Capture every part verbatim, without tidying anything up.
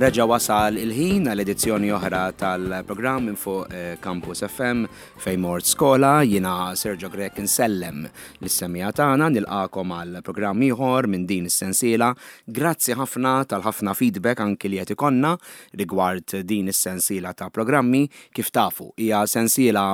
Reġa wasal il-ħin għal edizzjoni oħra tal-programm minn fuq eh, Campus F M Fejn Mort Skola. Jiena Sergio Grech, insellem lis-semmiegħa tagħna, nilqagħkom għal programm ieħor minn din is-sensiela. Grazzi ħafna tal-ħafna feedback anki li qed ikollna rigward din is-sensiela ta' programmi. Kif tafu, hija sensiela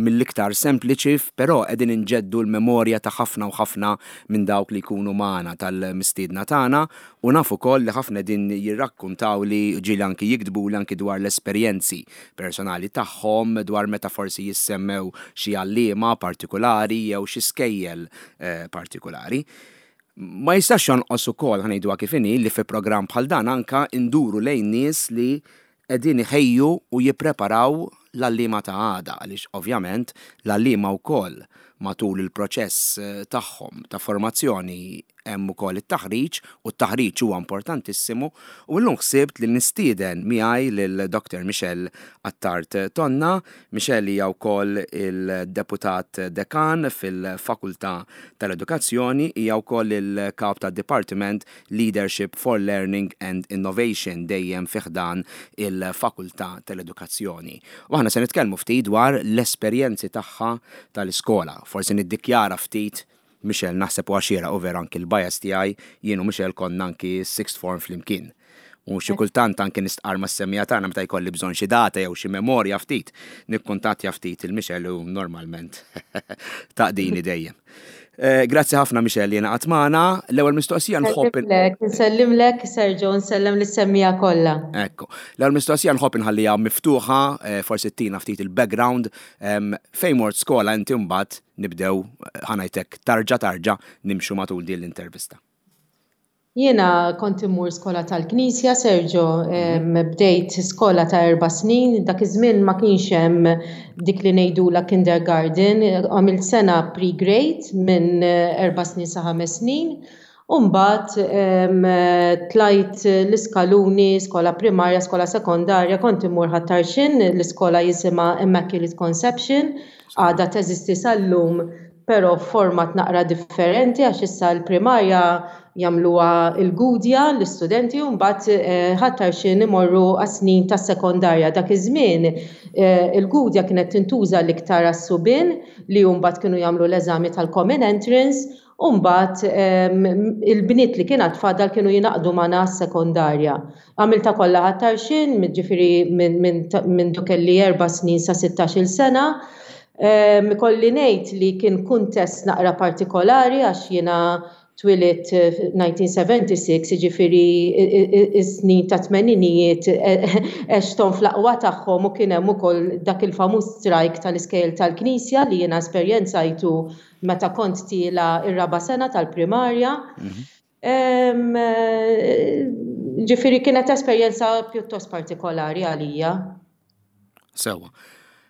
mill-iktar sempliċi, però qegħdin inġeddu l-memorja ta' ħafna u ħafna minn dawk li jkunu magħna, tal-mistiedna tagħna, u nafu wkoll li ħafna din jirrakkuntaw li ġieli anki jiktbu li anki dwar l-esperjenzi personali tagħhom, dwar meta forsi jissemmew xi għalliema partikolari jew xi skejjel eh, partikolari. Ma jistax jonqos ukoll, ħa ngħidu kif inhi, li fi programm bħal dan anka induru lejn nies li qegħdin iħejju u jippreparaw l-għalliema ta' għada, għaliex ovvjament l-għalliema wkoll matul il-proċess eh, tagħhom ta' formazzjoni hemm ukoll it-taħriġ, u t-taħriġ huwa importantissimu. U llum ħsibt li nistieden miegħi lil Doctor Michelle Attard Tonna. Michelle hija wkoll il-deputat dekan fil-Fakultà tal-Edukazzjoni, hija wkoll il-kap tad-Department Leadership for Learning and Innovation dejjem fi ħdan il-Fakultà tal-Edukazzjoni. U aħna se nitkellmu ftit dwar l-esperjenzi tagħha tal-iskola. Forsi niddikjara ftit, Michelle, naħseb u għaxira u vera anki l-bias tiegħi, jien u Michelle konna anki sixth form flimkien. U xi kultant anki nistqar ma' semmiegħa tagħna, meta jkolli bżonn xi data jew xi memorja ftit, nikkuntattja ftit lil Michelle u normalment taqdini dejjem. Eh, Grazzi ħafna, Michelle, li ingħaqadt magħna. L-ewwel mistoqsija nħobb Nsellimlek, nsellimlek Sergio, nsellem lis-semmiegħa kollha. Ekku. L-ewwel mistoqsija nħobb inħalliha miftuħa, eh, forsi tina ftit il-background, em, fejn mort skola inti, mbagħad nibdew, eh, ħa ngħidlek, tarġa tarġa nimxu matul din l-intervista. Jiena kont immur skola tal-Knisja, Sergio, em, bdejt skola ta' erba' snin, dak iż-żmien ma kienx hemm dik li ngħidula kindergarten, għamilt sena pre-grade minn erba' snin sa ħames snin. U mbagħad em, tlajt l-iskaluni, skola primarja, skola sekondarja, kont immur Ħal Tarxien, l-iskola jisimha Immaculate Conception, għadha teżisti sal-lum, però format naqra differenti għax issa l-primarja jagħmluha il-Gudja l-istudenti u mbagħad eh, Ħal Tarxien imorru għas-snin tas-sekondarja. Dak iż-żmien eh, il-Gudja kienet tintuża l-iktar għas-subien li mbagħad kienu jagħmlu l-eżami tal-Common Entrance, u mbagħad em, il-bniet li kien fadal kienu jingħaqdu magħna s-sekondarja. Għamiltha kollha Ħal Tarxien, ġifieri minn min, minn kelli erba' snin sa sittax-il sena. Em, Ikolli ngħid li kien kuntest naqra partikolari għax jiena twelidt eh, elf disa' mija u sebgħa u sebgħin, jiġifieri is-snin ta' tmeninijiet għexthom fl-aqwa tagħhom u kien hemm ukoll dak il-famuż strike tal-iskejjel tal-Knisja li jiena esperjenzajtu meta kont tiela' ir-raba' sena tal-primarja. Em, eh, Ġifieri kienet esperjenza pjuttost partikolari għalija. Sewa.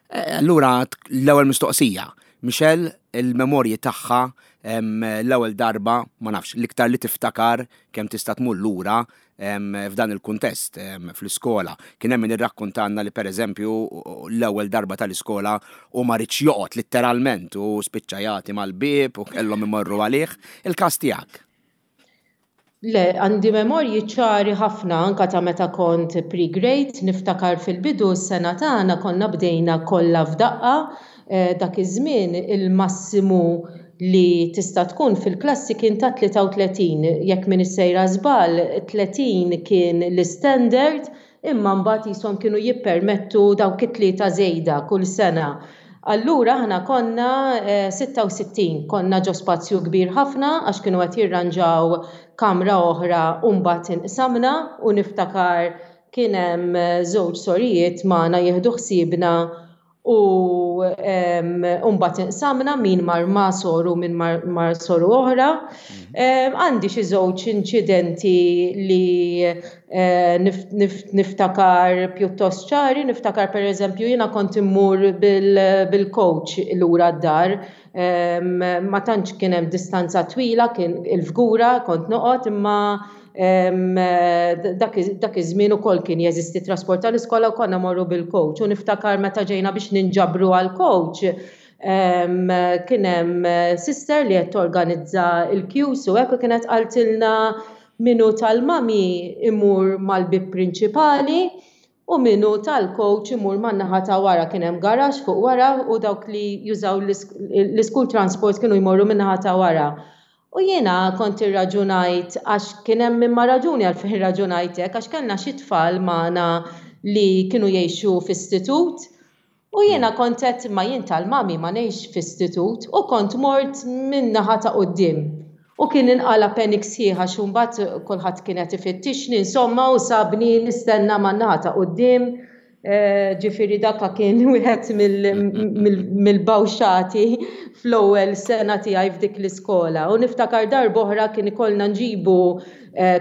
Eh, Allura l-ewwel mistoqsija. Michelle, il-memorji tagħha em, l-ewwel darba, ma nafx, l-iktar li tiftakar, kemm tista' tmur lura em, f'dan il-kuntest em, fl-iskola. Kien hemm min irrakkontanna li, pereżempju, l-ewwel darba tal-iskola u ma ridx joqgħod litteralment u spiċċa jagħti mal-bieb u kellhom imorru għalih. Il-każ tiegħek? Le, għandi memorji ċari ħafna anka ta' meta kont pre-grade, niftakar fil-bidu s-sena tagħna konna bdejna kollha f'daqqa, eh, dak iż-żmien il-massimu li tista' tkun fil-klassi kien ta' tlieta u tletin, jekk m'iniex sejra żball, tletin kien l-standard, imma mbagħad jisom kienu jippermettu dawk it-tlieta żejda kull sena. Allura aħna konna eh, sitta u sittin, konna ġo spazju kbir ħafna għax kienu qed jirranġaw kamra oħra u mbagħad inqsamna, u niftakar kien hemm eh, żewġ sorijiet magħna jieħdu ħsiebna u em, u mbagħad inqsamna, min mar ma' soru, min mar, mar soru oħra. Em, Għandi xi żewġ inċidenti li eh, nif, nif, niftakar pjuttost ċari, niftakar, per eżempju, jiena kont immur bil-coach lura d-dar, Em, ma tantx kien hemm distanza twila, kien il-Fgura kont noqgħod, imma em, dak dak iż-żmien ukoll kien jeżisti trasport tal-iskola u konna morru bil-coach. U niftakar meta ġejna biex ninġabru għal-coach, em, kien hemm sister li qed torganizza il-queues u hekk, u kienet qaltilna: Min hu tal-mummy imur mal-bib prinċipali u min hu tal-coach imur man-naħa ta' wara. Kien hemm garaxx fuq wara u dawk li jużaw l-school transport kienu jmorru min-naħa ta' wara. U jiena kont irraġunajt, għax kien hemm imma raġuni għalfejn irraġunajt hekk, għax kellna xi tfal magħna li kienu jgħixu f'istitut. U jiena kont qed ma jien tal-mummy, ma ngħix f'istitut, u kont mort min-naħa ta' quddiem. U kien inqala panic sħiħa xi mbagħad kulħadd kien qed ifittixni, insomma, u sabni nistenna man-naħa ta' quddiem. Ġifieri dakka kien wieħed mill-bawxati fl-ewwel sena tiegħi f'dik l-iskola. U niftakar darb'oħra kien ikollna nġibu,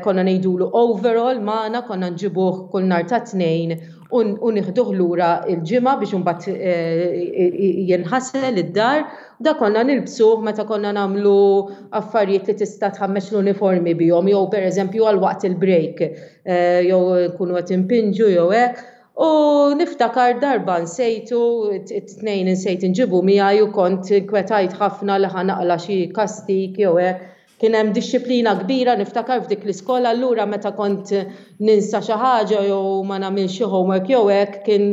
konna ngħidulu overall magħna, konna nġibuh kull nhar ta' Tnejn u nieħduh lura il-Ġimgħa biex imbagħad jinħasel id-dar. Da konna nilbsuh meta konna nagħmlu affarijiet li tista' tħammeġ l-uniformi bihom, jew pereżempju għal waqt il-break, jew nkunu qed impinġu jew hekk. U niftakar darba nsejtu, it-Tnejn insejt inġibu miegħi u kont inkwetajt ħafna li ħa naqla' xi kastik jew hekk. Kien hemm dixxiplina kbira niftakar f'dik l-iskola, allura meta kont ninsa xi ħaġa jew ma nagħmilx xi homework jew hekk, kien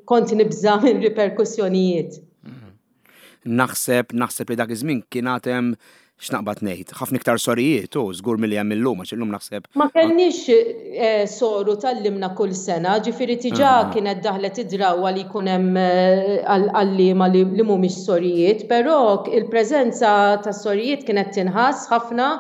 kont nibża' minn riperkussjonijiet. Naħseb, naħseb li dak iż-żmien kien għad hemm, x'naqbad ngħid, ħafna iktar sorijiet u żgur milli hemm illum, għax illum naħseb. Ma kellniex eh, soru tgħallimna kull sena, ġifieri diġà ah. kienet daħlet id-drawwa li jkun hemm eh, għalliema li, li mhumiex sorijiet, però il-preżenza tas sorijiet kienet tinħass ħafna,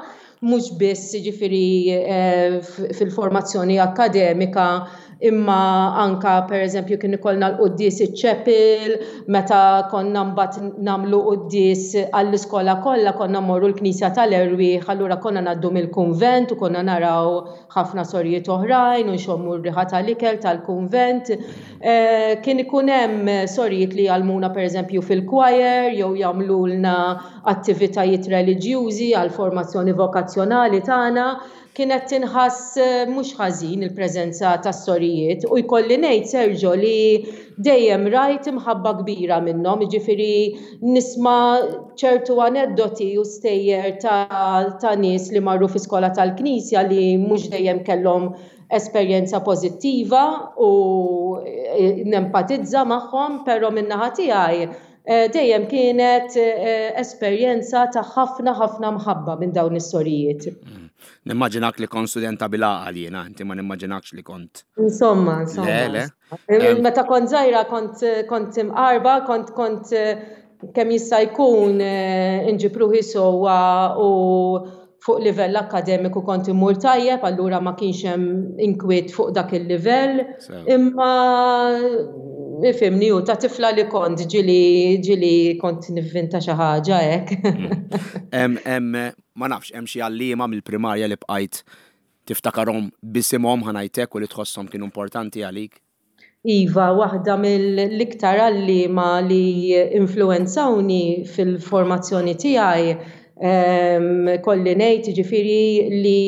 mhux biss ġifieri eh, fil-formazzjoni akademika, imma anka per eżempju kien ikollna l-quddies iċ-chapel, meta konna mbagħad nagħmlu quddies għall-iskola kollha konna mmorru l-Knisja tal-Erwieħ, allura konna ngħaddu mill-kunvent u konna naraw ħafna sorijiet oħrajn u nxommu r-riħa tal-ikel tal-kunvent. Eh, kien ikun hemm sorijiet li jgħallmuna pereżempju fil-choir jew jagħmlulna attivitajiet reliġjużi għal formazzjoni vokazzjonali tagħna. Kienet tinħass eh, mhux ħażin il-preżenza tas-sorijiet u jkolli ngħid, Sergio, li dejjem rajt imħabba kbira minnhom, jiġifieri nisma' ċertu aneddoti u stejjer ta', ta' nies li marru fi skola tal-Knisja li mhux dejjem kellhom esperjenza pożittiva u eh, nempatizza magħhom, però min-naħa tiegħi eh, dejjem kienet esperjenza ta' ħafna ħafna mħabba minn dawn is-sorijiet. Mm. Nimmaġinak li kont studenta bil-għaqal jiena, inti ma nimmaġinakx li kont. Insomma, insomma. Le, le. Meta kont żgħira kont kont imqarba, kont kont kemm jista' jkun eh, inġib ruħi sewwa u fuq livell akademiku kont immur tajjeb, allura ma kienx hemm inkwiet fuq dak il-livell. Imma ifhimni, u ta' tifla li kont ġieli ġieli kont nivvinta xi ħaġa hekk. Mm. Ma nafx, hemm xi għalliema mill-primarja li bqajt tiftakarhom b'isimhom, ħa ngħidlek, u li tħosshom kienu importanti għalik? Iva, waħda mill-iktar għalliema li influenzawni fil-formazzjoni tiegħi, kolli ngħid ġifieri li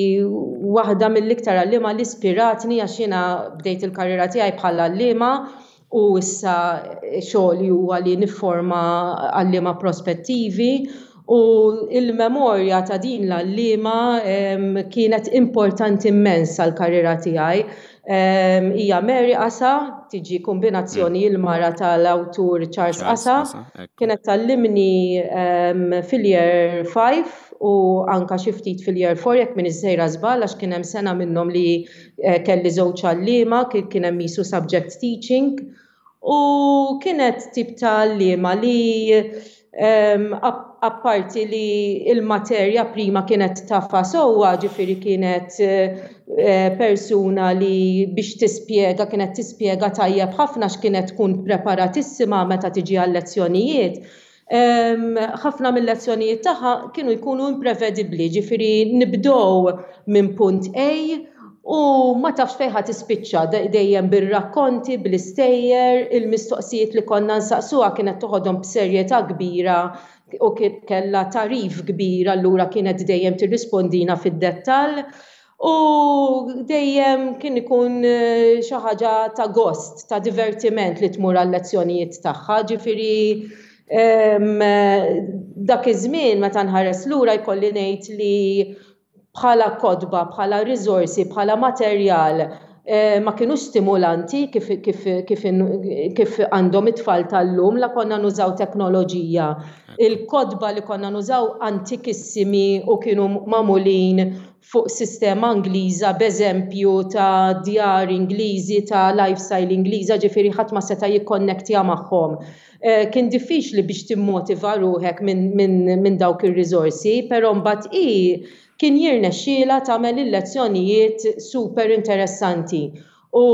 waħda mill-iktar għalliema li ispiratni, għax jiena bdejt il-karriera tiegħi bħala għalliema u issa xogħli huwa li nifforma għalliema prospettivi, u il-memorja ta' din l-għalliema kienet importanti immens għal-karriera tiegħi. Hija Mary Asa, tiġi kombinazzjoni il-mara tal-awtur Charles Asa, kienet tgħallimni fil-year five u anka xi ftit fil-year four, jekk m'iniex sejra żball, għax kien hemm sena minnhom li eh, kelli żewġ għalliema, kien hemm qisu subject teaching, u kienet tip ta' għalliema li apparti li il-materja prima kienet tafha sewwa, ġifieri kienet eh, persuna li biex tispjega kienet tispjega tajjeb ħafna, x'kienet tkun preparatissima meta tiġi għal-lezzjonijiet. Ħafna mill-lezzjonijiet tagħha kienu jkunu imprevedibbli, ġifieri nibdew minn punt A u ma tafx fejn ħa tispiċċa, dejjem bir-rakkonti, bl-istejjer, il-mistoqsijiet li konna nsaqsuha kienet toħodhom b'serjetà kbira u kellha tagħrif kbir, allura kienet dejjem tirrispondina fid-dettall. U dejjem kien ikun eh, xi ħaġa ta' gost, ta' divertiment li tmur għal-lezzjonijiet tagħha, ġifieri dak iż-żmien meta nħares lura jkolli ngħid li Bħala kotba, bħala risorsi, bħala materjal, eh, ma kienu stimulanti kif, kif, kif, kif għandhom it-tfal tal-lum, la konna nużaw teknoloġija. Il-kotba li konna nużaw antikissimi u kienu magħmulin fuq sistema Ingliża, b'eżempju ta' djar Ingliżi, ta' lifestyle Ingliża, ġifieri ħadd ma seta' jikkonnektja magħhom. Eh, kien diffiċli biex timmotiva ruħek minn min, min dawk ir-riżorsi, però mbagħad i kien jirnexxiela tagħmel il-lezzjonijiet super interessanti. U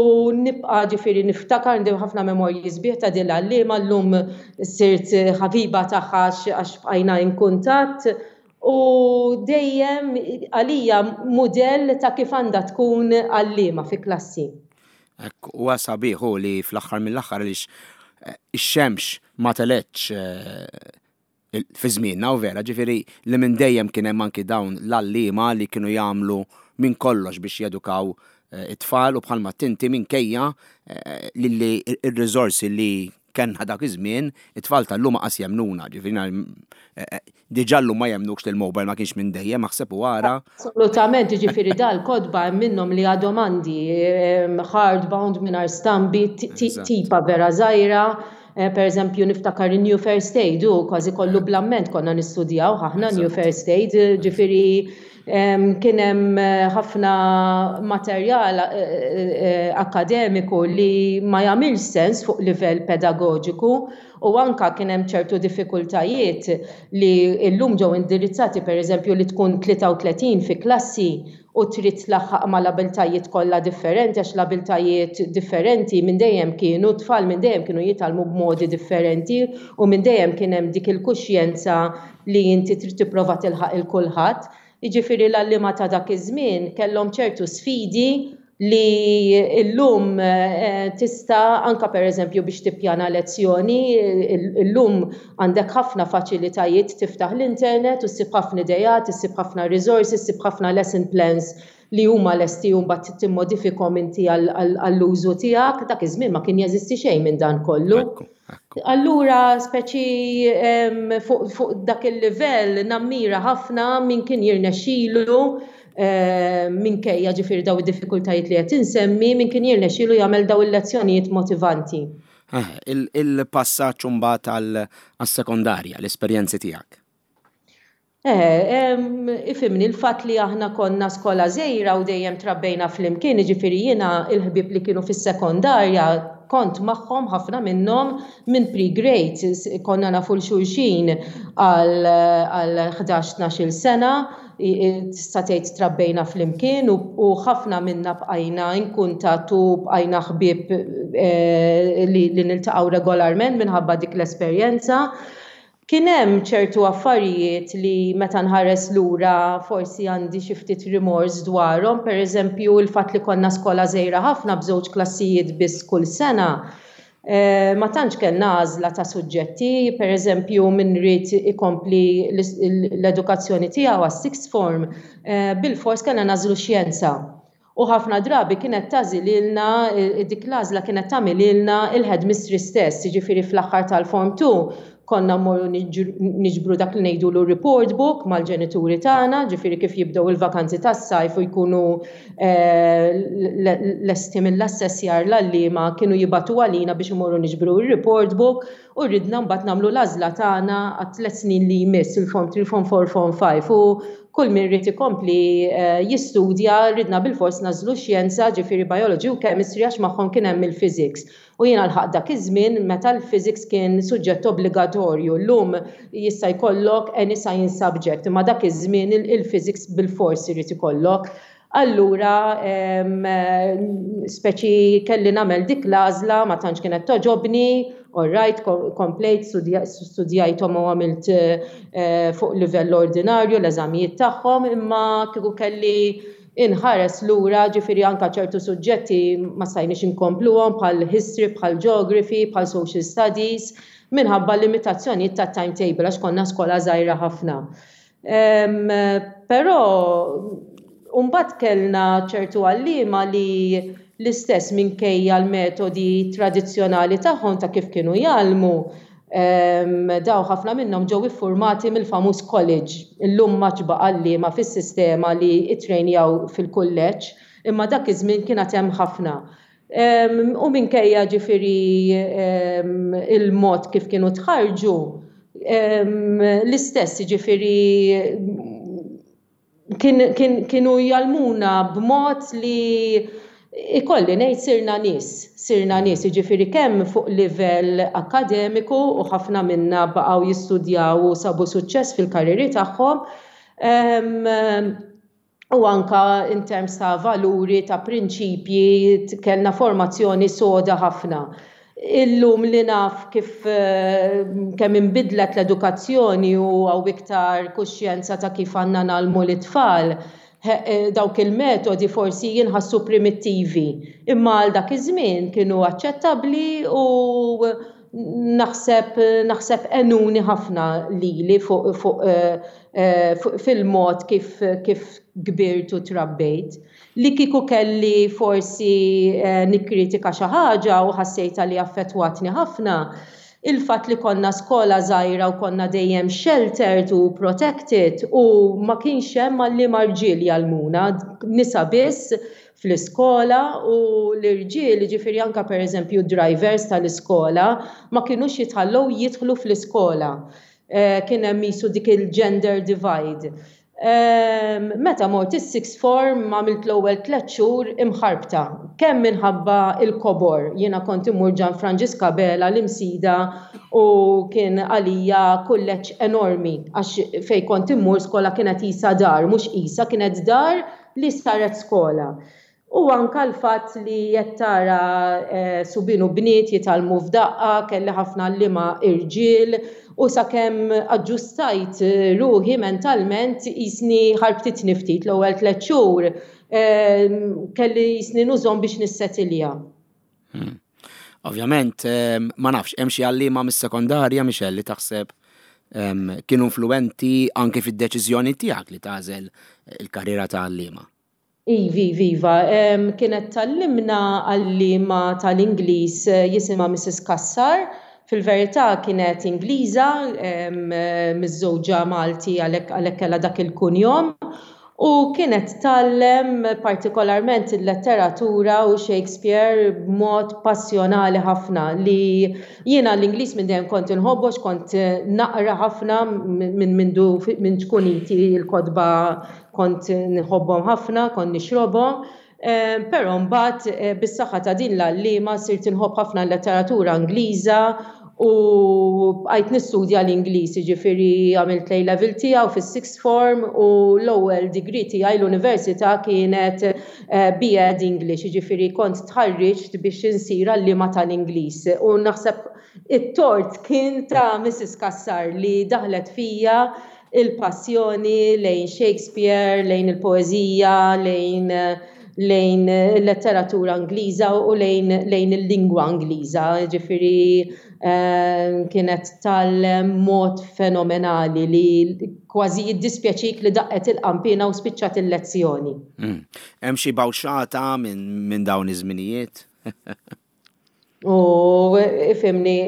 nibqa' ġifieri niftakar, għandi ħafna memorji sbieħ ta' din l-għalliema, llum sirt ħabiba tagħha għax bqajna in kuntatt u dejjem għalija mudell ta' kif għandha tkun għalliema fi klassi. Ekku, huwa sabiħ li fl-aħħar mill-aħħar, għaliex eh, ix-xemx ma telgħetx eh, fi żmienna u vera, ġifieri li minn dejjem kien hemm anki dawn l-għalliema li kienu jagħmlu minn kollox biex jedukaw eh, it-tfal u bħalma tinti minkejja li il-riżorsi li kellna dak iż-żmien, it-tfal tal-lum qas jemnuna, ġifieri diġà llum ma jemnukx li l-mobile ma kienx minn dejjem, aħseb u ara. Assolutament, ġifieri dal-kotba minnhom li għadhom għandi hardbound mingħajr stampi, tipa vera żgħira. Eh, per eżempju, niftakar New First Aid, u kważi kollu bl-amment konna nistudjaw ħafna New First Aid, ġifieri kien hemm eh, ħafna materjal eh, akademiku li ma jagħmilx sens fuq livell pedagogiku u anka kien hemm ċertu diffikultajiet li llum ġew indirizzati, per eżempju li tkun tlieta u tletin fi klassi u trid tlaħħaq mal-abiltajiet kollha differenti, għax l-abiltajiet differenti minn dejjem kienu, tfal minn dejjem kienu jitgħallmu b'modi differenti u minn dejjem kien hemm dik il-kuxjenza li inti trid tipprova tilħaq il kulħadd. Jiġifieri l-għalliema ta' dak iż-żmien kellhom ċertu sfidi li illum eh, tista' anka, per eżempju, biex tippjana lezzjoni, illum għandek ħafna faċilitajiet, tiftaħ l-internet u ssib ħafna idejat, issib ħafna resources, issib ħafna lesson plans li huma lesti u mbagħad timmodifikhom inti għall-użu tiegħek. Dak iż-żmien ma kien jeżisti xejn minn dan kollu. Allura, speċi fuq dak il-livell nammira ħafna min kien jirnexxilu, Eh, minkejja ġifieri daw id-diffikultajiet li qed insemmi, min kien jirnexxielu jagħmel daw il-lezzjonijiet motivanti. Eh, il-passaġġ mbagħad għas-sekondarja, l-esperjenzi tiegħek. Eh, ifhimni, il-fatt li aħna konna skola żgħira u dejjem trabbejna flimkien, ġifieri jiena il-ħbib li kienu fis-sekondarja kont magħhom, ħafna minnhom minn pre-grade, konna nafu 'l xulxin għal ħdax tnax-il sena, tista' tgħid trabbejna flimkien u ħafna minna bqajna in kuntatt u bqajna ħbieb eh, li niltaqgħu regolarment minħabba dik l-esperjenza. Kien hemm ċertu affarijiet li meta nħares lura forsi għandi xi ftit rimors dwarhom, pereżempju il-fatt li konna skola żgħira ħafna b'żewġ klassijiet biss kull sena. Eh, ma tantx kellna għażla ta' suġġetti, per eżempju min ried ikompli l-edukazzjoni tiegħu għas-sixth form, eh, bil-fors kellna nagħżlu xjenza. U ħafna drabi kienet tagħżlilna, eh, dik l-għażla kienet tagħmililna il-headmistress stess, jiġifieri fl-aħħar tal-form two konna mmorru niġbru dak li ngħidulu report book mal-ġenituri tagħna, ġifieri kif jibdew il-vakanzi tas-sajf u jkunu eh, lesti mill-assessjar l-għalliema kienu jibagħtu għalina biex imorru niġbru il-report book u ridna mbagħad nagħmlu l-għażla tagħna għat-tliet snin li jmiss, il-form three, form four, form five, u kull min ried ikompli eh, jistudja ridna bil-fors nagħżlu xjenza, ġifieri biology u chemistry, għax magħhom kien hemm il-physics. U jiena lħaqt dak iż-żmien meta l-physics kien suġġett obbligatorju. Llum jista' jkollok any science subject, imma dak iż-żmien il-physics bil-fors irid ikollok. Allura, speċi kelli nagħmel dik l-għażla, ma tantx kienet togħġobni, all right, komplejt studjajthom u għamilt eh, fuq livell ordinarju l-eżamijiet tagħhom, imma kieku kelli inħares lura, ġifieri anka ċertu suġġetti ma stajniex inkompluhom bħal history, bħal geography, bħal social studies, minħabba limitazzjonijiet ta' timetable għax konna skola żgħira ħafna. Però mbagħad kellna ċertu għalliema li l-istess, minkejja l-metodi tradizzjonali tagħhom ta' kif kienu jgħallmu, Daw ħafna minnhom ġew iffurmati mill-famuż college. Illum ma baqa' għalliema fis-sistema li ittrejnjaw fil-kulleġġ, imma dak iż-żmien kien hemm ħafna. U minkejja, ġifieri, il-mod kif kienu tħarġu, l-istess, ġifieri, kienu jgħallmuna b'mod li ikolli ngħid sirna nies, sirna nies, jiġifieri kemm fuq livell akademiku, u ħafna minna baqgħu jistudjaw u sabu suċċess fil-karriri tagħhom, u anka in terms ta' valuri, ta' prinċipji, kellna formazzjoni soda ħafna. Illum li naf kif kemm inbidlet l-edukazzjoni u hawn iktar kuxjenza ta' kif għandna ngħallmu l-itfal, eh, dawk il-metodi forsi jinħassu primittivi, imma għal dak iż-żmien kienu aċċettabbli u naħseb naħseb għenuni ħafna lili fuq fuq eh, eh, fil-mod kif kif kbirt u trabbejt. Li kieku kelli forsi nikkritika xi ħaġa u ħassejta li affettwatni ħafna, il-fatt li konna skola żgħira u konna dejjem sheltered u protected u ma kienx hemm għalliema rġiel jgħallmuna, nisa biss fl-iskola u l-irġiel, ġifieri anka pereżempju drivers tal-iskola, ma kinux jitħallew jidħlu fl-iskola. Eh, kien hemm qisu dik il-gender divide. Meta mort is-sixth form, għamilt l-ewwel tliet xhur imħarbta. Kemm minħabba il-kobor, jiena kont immur Ġan Franġisk Abela l-Imsida u kien għalija kulleġġ enormi, għax fej kont immur skola kienet qisha dar, mhux qisha, kienet dar li saret skola. U anka l-fatt li qed tara eh, subien u bniet jitgħallmu f'daqqa, kelli ħafna għalliema irġiel, u sakemm aġġustajt ruħi mentalment qisni ħarbtitni ftit l-ewwel tliet xhur, eh, kelli qisni nużhom biex nissetilja. Hmm. Ovvjament, eh, ma nafx, hemm xi għalliema mis-sekondarja, Michelle, li taħseb kienu influenti anke fid-deċiżjoni tiegħek li tagħżel il-karriera ta' għalliema? Ivi, viva, kienet tgħallimna għalliema tal-Ingliż eh, jisimha Missus Kassar. Fil-verità kienet Ingliża, miżżewġa Malti, għalhekk kellha dak il-kunjom. U kienet tgħallem partikolarment il-letteratura u Shakespeare b'mod passjonali ħafna, li jiena l-Ingliż minn dejjem kont inħobbu, kont naqra ħafna minn mindu minn ċkuniti, il-kotba kont nħobbhom ħafna, kont nixrobhom. Eh, però mbagħad eh, bis-saħħa ta' din l-għalliema sirt inħobb ħafna l-letteratura Ingliża u bqajt nistudja l-Ingliż, jiġifieri għamilt A level tiegħu fis-sixth form u l-ewwel degree tiegħi l-università kienet eh, B Ed English, jiġifieri kont tħarriġt biex insir għalliema tal-Ingliż. U naħseb it-tort kien ta' Missus Kassar li daħlet fija il-passjoni lejn Shakespeare, lejn il-poezija, lejn lejn il-letteratura Ingliża u lejn, lejn il-lingwa Ingliża. Ġifieri eh, kienet tal-mod fenomenali li kważi jiddispjaċik li daqqet il-qampina u spiċċat il-lezzjoni. Mm. Hemm xi bawxata minn min dawn iż-żminijiet? U ifhimni,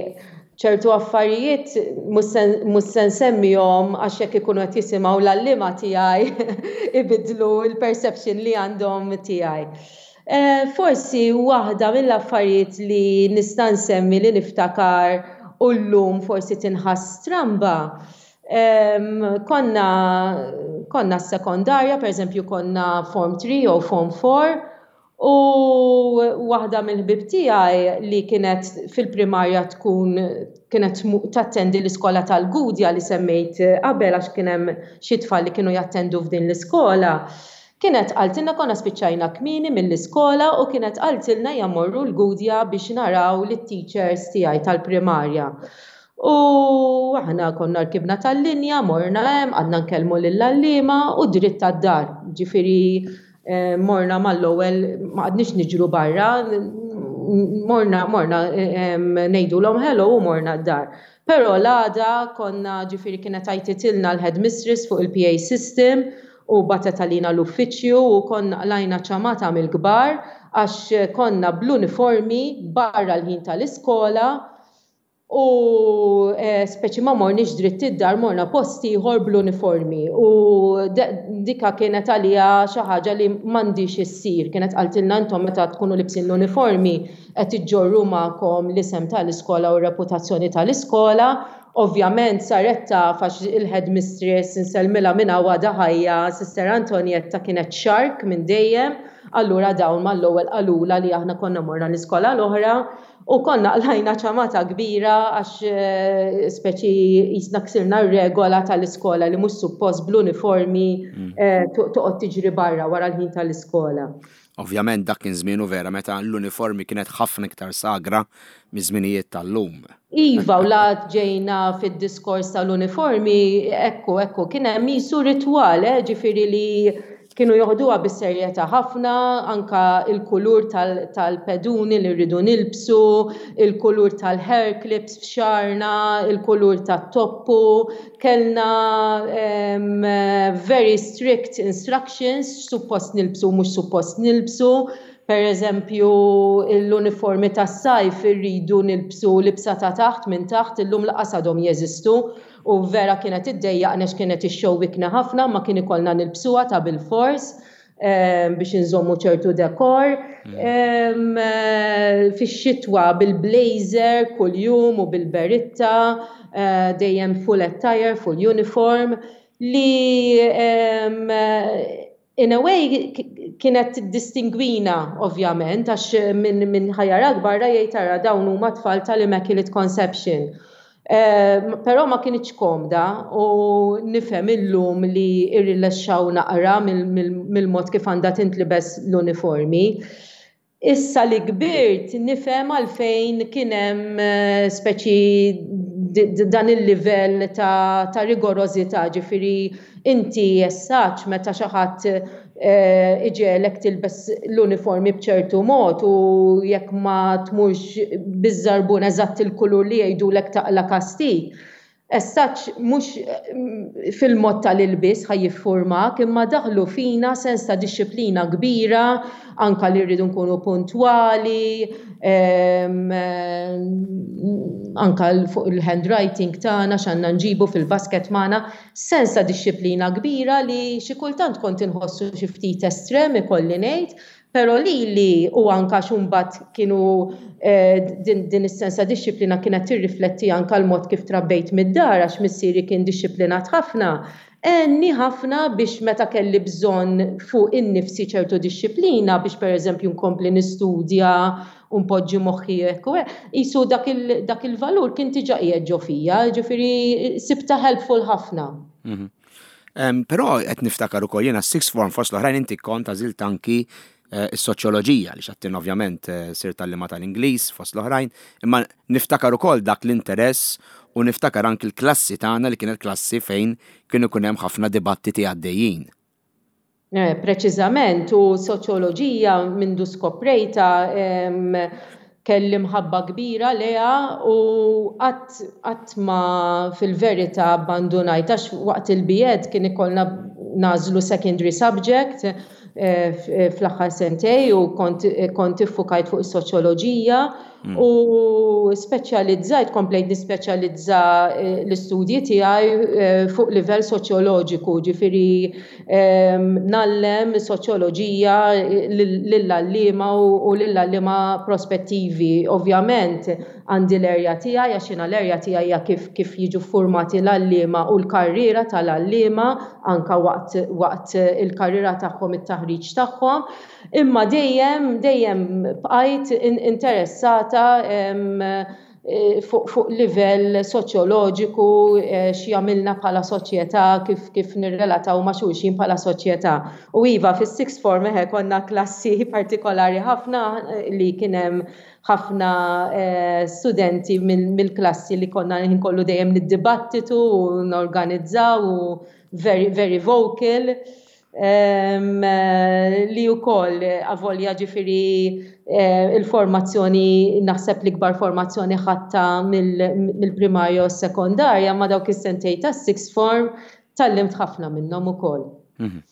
ċertu affarijiet mhux se nsemmihom, għax jekk ikunu qed jisimgħu l-għalliema tiegħi ibidlu l-perception li għandhom tiegħi. Eh, forsi waħda mill-affarijiet li nista' nsemmi li niftakar u llum forsi tinħass stramba. Konna konna s-sekondarja, per eżempju konna Form three jew Form four, u waħda mill-ħbib tiegħi li kienet fil-primarja tkun kienet tattendi l-iskola tal-Gudja li semmejt qabel, għax kien hemm xi tfal li kienu jattendu f'din l-iskola. Kienet qaltilna, konna spiċċajna kmieni mill-iskola, u kienet qaltilna mmorru l-Gudja biex naraw lit-teachers tiegħi tal-primarja. U aħna konna rkibna tal-linja, morna hemm, għadna nkellmu lill-għalliema u dritt tad-dar. Ġifieri eh, morna mal-ewwel, ma qgħadniex niġru barra, morna morna ngħidulhom hello u morna d-dar. Però l-għada konna, ġifieri, kienet għajtitilna l-headmistress fuq il-P A system u bagħtet għalina l-uffiċju u konna qlajna ċamata mill-kbar għax konna bl-uniformi barra l-ħin tal-iskola u eh, speċi ma morniex dritt id-dar, morna post ieħor bl-uniformi u dika kienet għalija xi ħaġa li m'għandix issir. Kienet qaltilna, "Intom meta tkunu libsin l-uniformi qed iġġorru magħkom l-isem tal-iskola u reputazzjoni tal-iskola." Ovvjament saret taf għax il-headmistress, insellmilha minn għada ħajja, Sister Antonietta, kienet sharp minn dejjem, allura dawn mal-ewwel qalula li aħna konna morna l-iskola l-oħra u konna qlajna ċamata kbira għax eh, speċi jisna ksirna r-regola tal-iskola li mhux suppost bl-uniformi mm. eh, toqgħod tiġri barra wara l-ħin tal-iskola. Ovvjament dak kien żmienu vera meta l-uniformi kienet ħafna iktar sagra miż-żminijiet tal-lum. Iva, u la ġejna fid-diskors tal-uniformi, ekku, ekku, kien hemm jisu ritwal, eh, ġifieri li kienu joħduha bis-serjetà ħafna, anka il-kulur tal-peduni li rridu nilbsu, il-kulur tal-hair clips f'xagħarna, il-kulur tat-toppu, kellna um, very strict instructions, suppost nilbsu, mhux suppost nilbsu. Per eżempju, l-uniformi tas-sajf irridu nilbsu libsa ta' taħt minn taħt, illum lanqas għadhom jeżistu u vera kienet iddejjaqna, kienet ixxewwikna ħafna, ma kien ikollna nilbsuha ta' bil-fors biex nżommu ċertu dekor. Mm. Fix-xitwa bil-blazer kull-jum u bil-beritta, eh, dejjem full attire, full uniform, li in a way kienet distingwina ovvjament, għax minn min ħa jarak barra jgħid, "Ara, dawn huma tfal tal-Immaculate Conception." Eh, però ma kinitx komda u nifhem illum li irrilaxxaw naqra mill-mod kif għandha tintlibes l-uniformi. Issa li kbirt nifhem għalfejn kien hemm eh, speċi dan il-livell ta', ta rigorożità, ġifieri inti jessaċ meta xi ħadd eh, iġegħlek tilbes l-uniformi b'ċertu mod u jekk ma tmurx biż-żarbun eżatt il-kulur li jgħidulek taqla kastig. Essaċ mhux mm, fil-mod tal-ilbis ħa jiffurmak, imma daħlu fina sens ta' dixxiplina kbira, anka li rridu nkunu puntwali, anka fuq il-handwriting tagħna, x'għandna nġibu fil-basket magħna, sens ta' dixxiplina kbira li xi kultant kont inħossu xi ftit estrem, ikolli ngħid, pero li li u anka xumbat kienu eh, din, din is-sens ta' dixxiplina kienet tirrifletti anka l-mod kif trabbejt mid-dar, għax missieri kien dixxiplinat ħafna. Għenni ħafna biex meta kelli bżonn fuq innifsi ċertu dixxiplina biex per eżempju nkompli nistudja u npoġġi moħħi hekk u hekk. Jisu dak il-valur kien diġà qiegħed ġo fija, ġifieri sibta helpful ħafna. Mhm. Um, Però qed niftakar ukoll jiena sixth form, fost l-oħrajn, inti kont għażilt anki eh, is-soċjoloġija li xattin ovvjament eh, sirt għalliema tal-Ingliż fost l-oħrajn, imma niftakar ukoll dak l-interess u niftakar anki l-klassi tagħna li kienet klassi fejn kienu ikun hemm ħafna dibattiti għaddejjin. Eh, preċiżament, u soċjoloġija mindu skoprejta kelli mħabba kbira lejha u qatt ma fil-verità abbandunajt, għax waqt il-B Ed kien ikollna nagħżlu secondary subject eh, fl-aħħar sentejn u kont, kont iffukajt fuq is-soċjoloġija mm. u speċjalizzajt, komplejt nispeċjalizza eh, l-istudji tiegħi eh, fuq livell soċjoloġiku, ġifieri ngħallem soċjoloġija lill-għalliema u lill-għalliema prospettivi. Ovvjament għandi l-erja tiegħi, għax jiena l-erja tiegħi hija kif kif jiġu formati l-għalliema u l-karriera tal-għalliema anka waqt waqt il-karriera tagħhom, it-taħriġ tagħhom. Imma dejjem dejjem bqajt interessata eh, fuq fuq livell soċjoloġiku, eh, x'jagħmilna bħala soċjetà, kif kif nirrelataw ma' xulxin bħala soċjetà. U iva, fis-sixth form eħe konna klassi partikolari ħafna eh, li kien hemm ħafna studenti mill-klassi li konna kollu dejjem niddibattitu u norganizzaw u very, very vocal li wkoll avolja ġifieri eh, il-formazzjoni, naħseb l-ikbar formazzjoni ħadtha mill-primarja u sekondarja, ma dawk is-sentejn ta' sixth form tgħallimt ħafna minnhom ukoll. Mhm.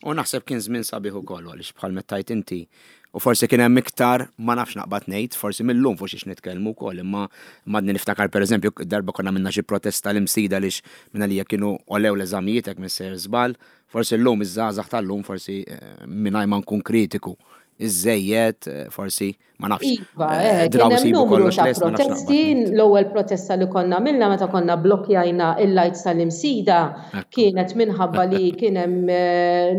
U naħseb kien żmien sabiħ ukoll għaliex bħal mettajt inti U forsi kien hemm iktar, ma nafx naqbad ngħid, forsi millum fuq xiex nitkellmu wkoll, imma madni niftakar, pereżempju, darba konna minna xi protesta l-Imsida lix minna li kienu għolew l-eżamijiet, hekk missejjer żball, forsi llum iż-żgħażagħ tal-lum forsi, eh, mingħajr ma nkun kritiku iżejjed, eh, forsi ma nafx. Iva, eh, kien hemm numru ta' protesti. L-ewwel protesta li konna għamilna meta konna blokkjajna il-lights tal-Imsida kienet minħabba li kien hemm eh,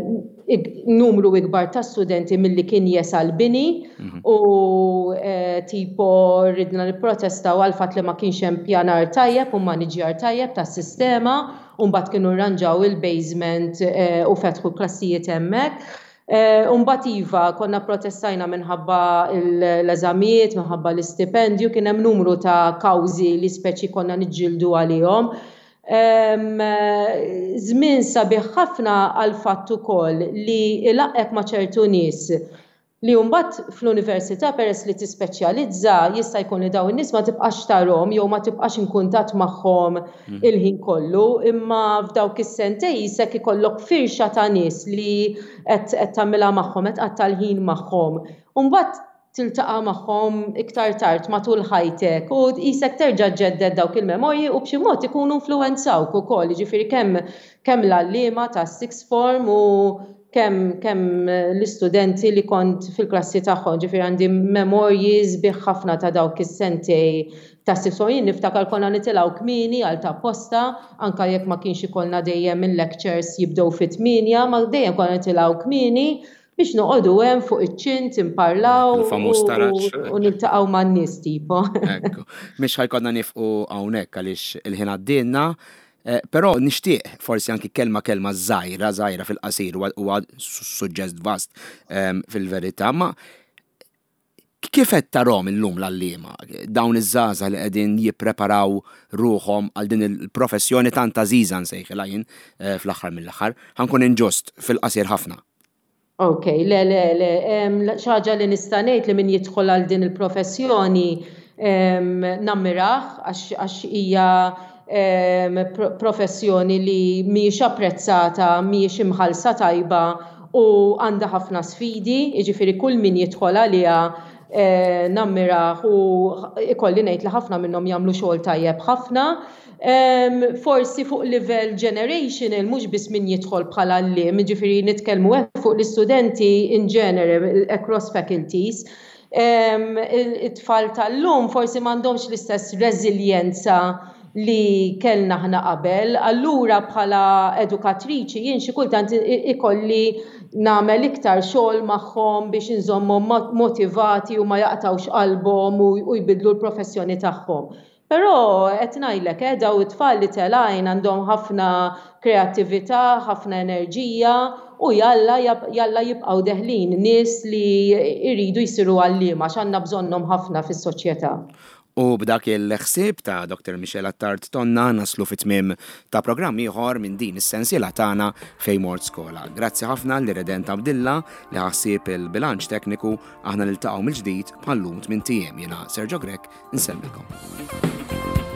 numru ikbar ta' studenti milli kien jesa l-bini mhm. u tipo ridna nipprotestaw għal fatt li ma kienx hemm pjanar tajjeb u maniġjar tajjeb tas-sistema, u mbagħad kienu rranġaw il-basement u fetħu klassijiet hemmhekk. Umbagħad iva, konna protestajna minħabba l-eżamijiet, minħabba l-istipendju, kien hemm numru ta' kawżi li speċi konna niġġieldu għalihom. Żmien sabiħ ħafna għal fatt ukoll li ilaqqgħek ma' ċertu nies li mbagħad fl-università, peress li tispeċjalizza, jista' jkun li dawn in-nies ma tibqax tarhom jew ma tibqax in kuntatt magħhom mm. il-ħin kollu, imma f'dawk is-sentej jisek ikollok firxa ta' nies li qed tagħmilha magħhom, qed tqatta' l-ħin magħhom. U mbagħad tiltaqa' magħhom iktar tard matul ħajtek u qisek terġa' ġġedded dawk il-memorji u b'xi mod ikunu influwenzawk ukoll, jiġifieri kemm kemm l-għalliema tas-sixth form u kemm kemm l-istudenti li kont fil-klassi tagħhom, ġifieri għandi memorji sbieħ ħafna ta' dawk is-sentej ta' sixth form. Jien niftakar konna nitilgħu kmieni għal ta' posta, anka jekk ma kienx ikollna dejjem il-lectures jibdew fit-tmienja, ma dejjem konna nitilgħu kmieni biex noqogħdu hemm fuq iċ-ċint imparlaw u niltaqgħu man-nies tipo. Ekku. Mhix ħa jkollna nieqfu hawnhekk għaliex il-ħin għaddielna. Eh, però nixtieq forsi anki kelma kelma żgħira żgħira fil-qasir, huwa suġġett vast ehm, fil-verità, ma kif qed tarahom illum l-għalliema, dawn iż-żgħażagħ li qegħdin jippreparaw ruħhom għal din il-professjoni tant għażiża nsejħilha jien eh, fl-aħħar mill-aħħar? Ħa nkun inġust, fil-qasir ħafna. Ok, le, le, le, xi ħaġa li nista' ngħid li min jidħol għal din il-professjoni nammirah għax hija professjoni li mhijiex apprezzata, mhijiex imħallsa tajba u għandha ħafna sfidi, jiġifieri kull min jidħol għaliha eh, nammirah u ikolli ngħid li ħafna minnhom jagħmlu xogħol tajjeb ħafna. Forsi fuq livell generational, mhux biss min jidħol bħala għalliem, ġifieri nitkellmu fuq l-istudenti in general across faculties. It-tfal tal-lum forsi m'għandhomx l-istess reżiljenza li kellna ħna qabel, allura bħala edukatriċi jien xi kultant ikolli nagħmel iktar xogħol magħhom biex inżommhom motivati u ma jaqtawx qalbhom u jbidlu l-professjoni tagħhom. Però qed ngħidlek, eh, daw it-tfal li telgħin għandhom ħafna kreattività, ħafna enerġija u jalla jalla jibqgħu deħlin nies li jridu jsiru għalliema għax għandna bżonnhom ħafna fis-soċjetà. U b'dak il-ħsieb ta' Doktor Michelle Attard Tonna naslu fit-tmiem ta' programm ieħor minn din is-sensiela tagħna Fejn Mort Skola. Grazzi ħafna li Redent Abdilla li ħassib il-bilanċ tekniku. Aħna niltaqgħu mill-ġdid bħallum tmien ijiem. Jiena Sergio Grech, insellmilkom.